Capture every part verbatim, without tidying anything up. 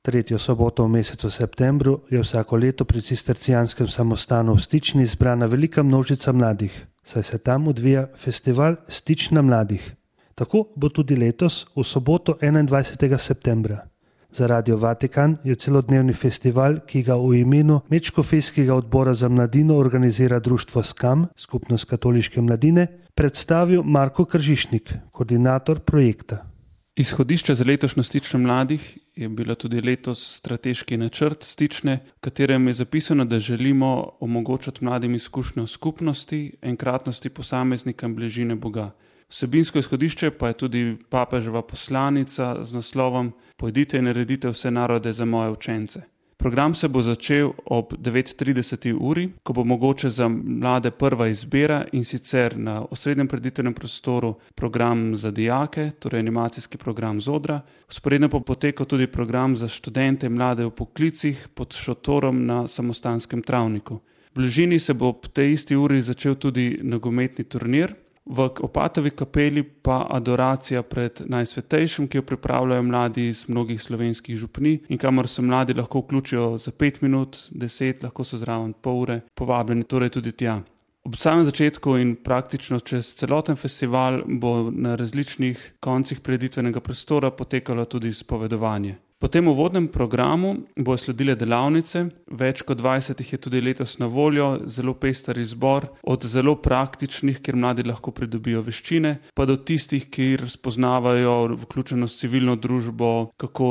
Tretjo soboto v mesecu septembru je vsako leto pri cistercijanskem samostanu v Stični zbrana velika množica mladih, saj se tam odvija festival Stična mladih. Tako bo tudi letos v soboto enaindvajsetega septembra. Za Radio Vatikan je celodnevni festival, ki ga v imenu Medškofijskega odbora za mladino organizira društvo Skam, Skupnost katoliške mladine, predstavil Marko Kržišnik, koordinator projekta. Izhodišče za letošnjo Stično mladih je bila tudi letos strateški načrt Stične, v katerem je zapisano, da želimo omogočati mladim izkušnjo skupnosti, enkratnosti posameznika in bližine Boga. Vsebinsko izhodišče pa je tudi papeževa poslanica z naslovom Pojdite in naredite vse narode za moje učence. Program se bo začel ob devet trideset uri, ko bo mogoče za mlade prva izbira, in sicer na osrednjem preditevnem prostoru program za dijake, torej animacijski program Zodra. Vzporedno pa poteka tudi program za študente in mlade v poklicih pod šotorom na samostanskem travniku. V bližini se bo ob tej isti uri začel tudi nogometni turnir. V Opatovi kapeli pa adoracija pred Najsvetejšim, ki jo pripravljajo mladi iz mnogih slovenskih župnij in kamor se mladi lahko vključijo za pet minut, deset, lahko so zraven pol ure, povabljeni torej tudi tja. Ob samem začetku in praktično čez celoten festival bo na različnih koncih prireditvenega prostora potekalo tudi spovedovanje. Po tem uvodnem programu bo sledile delavnice, več kot dvajset jih je tudi letos na voljo, zelo pester izbor, od zelo praktičnih, kjer mladi lahko pridobijo veščine, pa do tistih, kjer spoznavajo vključenost v civilno družbo, kako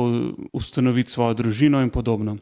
ustanoviti svojo družino in podobno.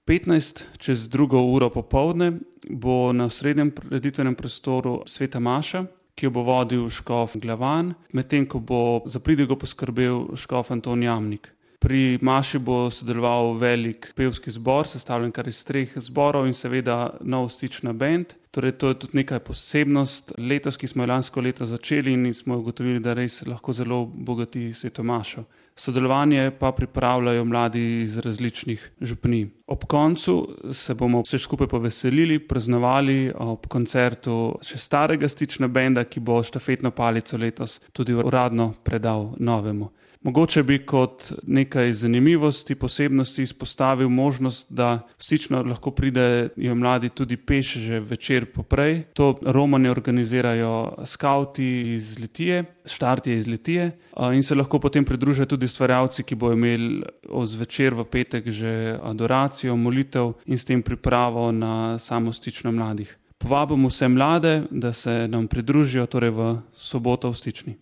petnajst čez drugo uro popoldne bo na osrednjem prireditvenem prostoru sveta maša, ki jo bo vodil škof Glavan, medtem ko bo za pridigo poskrbel škof Anton Jamnik. Pri maši bo sodeloval velik pevski zbor, sestavljen kar iz treh zborov in seveda nov Stična band. Torej to je tudi nekaj posebnost letos, ki smo jo lansko leto začeli in smo ugotovili, da res lahko zelo bogati sveto mašo. Sodelovanje pa pripravljajo mladi iz različnih župnij. Ob koncu se bomo vse skupaj poveselili, praznovali ob koncertu še starega Stična benda, ki bo štafetno palico letos tudi uradno predal novemu. Mogoče bi kot nekaj zanimivosti, posebnosti izpostavil možnost, da v Stično lahko pridejo mladi tudi peš že večer poprej. To romanje organizirajo skavti iz Litije, štart je iz Litije in se lahko potem pridružijo tudi ustvarjalci, ki bojo imeli zvečer v petek že adoracijo, molitev in s tem pripravo na samo Stično mladih. Povabimo vse mlade, da se nam pridružijo torej v soboto v Stični.